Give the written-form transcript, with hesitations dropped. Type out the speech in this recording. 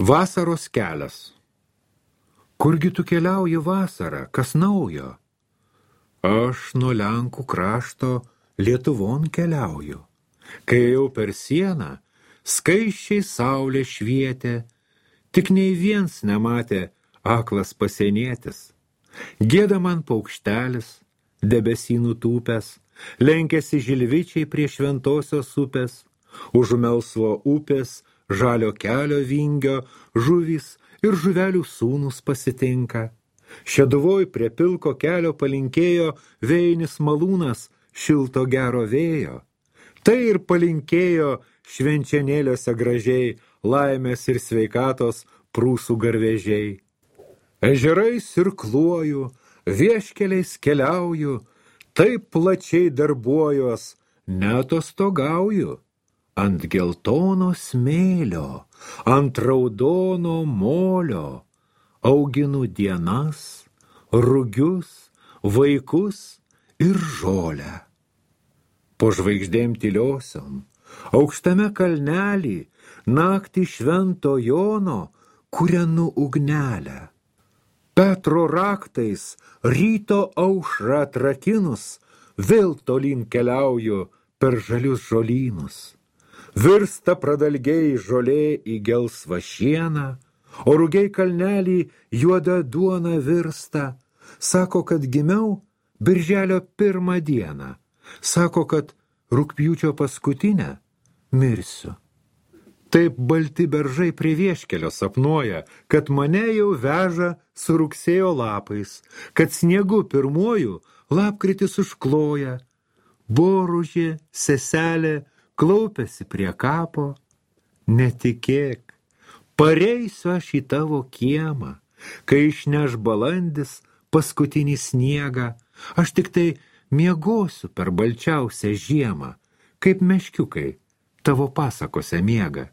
Vasaros kelias. Kurgi tu keliauji vasarą, kas naujo? Aš nuo Lenkų krašto Lietuvon keliauju. Kai jau per sieną, skaisčiai saulė švietė, tik nei viens nematė aklas pasienietis. Gieda man paukštelis, debesy nutūpęs, lenkėsi žilvičiai prie šventosios upės, už melsvo upės, žalio kelio vingio, žuvys ir žuvelių sūnus pasitinka. Šeduvoj prie pilko kelio palinkėjo vėjinis malūnas šilto gero vėjo. Tai ir palinkėjo švenčianėliuose gražiai laimės ir sveikatos prūsų garvežiai. Ežerais irkluoju, vieškeliais keliauju, taip plačiai darbuojuos, neatostogauju. Ant geltono smėlio, ant raudono molio, auginu dienas, rugius, vaikus ir žolę. Po žvaigždėm tyliosiom, aukštame kalnelį, naktį švento Jono, kūrenu ugnelę. Petro raktais ryto aušrą atrakinus, vėl tolyn keliauju per žalius žolynus. Virsta pradalgiai žolė į gelsvą šieną, o rugiai kalnelį juoda duona virsta. Sako, kad gimiau birželio 1 dieną. Sako, kad rugpjūčio paskutinę mirsiu. Taip balti beržai prie vieškelio sapnuoja, kad mane jau veža su rugsėjo lapais, kad sniegu pirmuoju lapkritis užkloja. Boružė, seselė, klaupiasi prie kapo. Netikėk, pareisiu aš į tavo kiemą, kai išneš balandis paskutinį sniegą. Aš tik tai miegosiu per balčiausią žiemą, kaip meškiukai tavo pasakose miega.